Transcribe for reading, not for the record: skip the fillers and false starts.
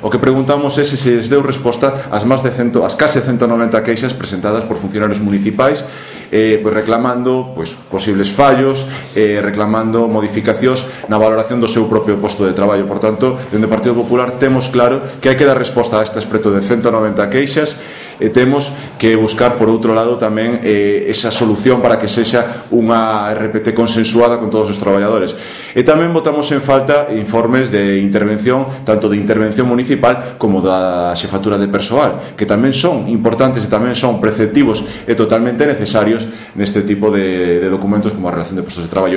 O que preguntamos é se se deu resposta ás case 190 queixas presentadas por funcionarios municipais reclamando posibles fallos, reclamando modificacións na valoración do seu propio posto de traballo. Por tanto, dende o Partido Popular temos claro que hai que dar resposta a estas preto de 190 queixas e temos que buscar por outro lado tamén esa solución para que sexa unha RPT consensuada con todos os traballadores. E tamén botamos en falta informes de intervención, tanto de intervención municipal como da xefatura de persoal, que tamén son importantes e tamén son preceptivos e totalmente necesarios neste tipo de documentos como a relación de postos de traballo.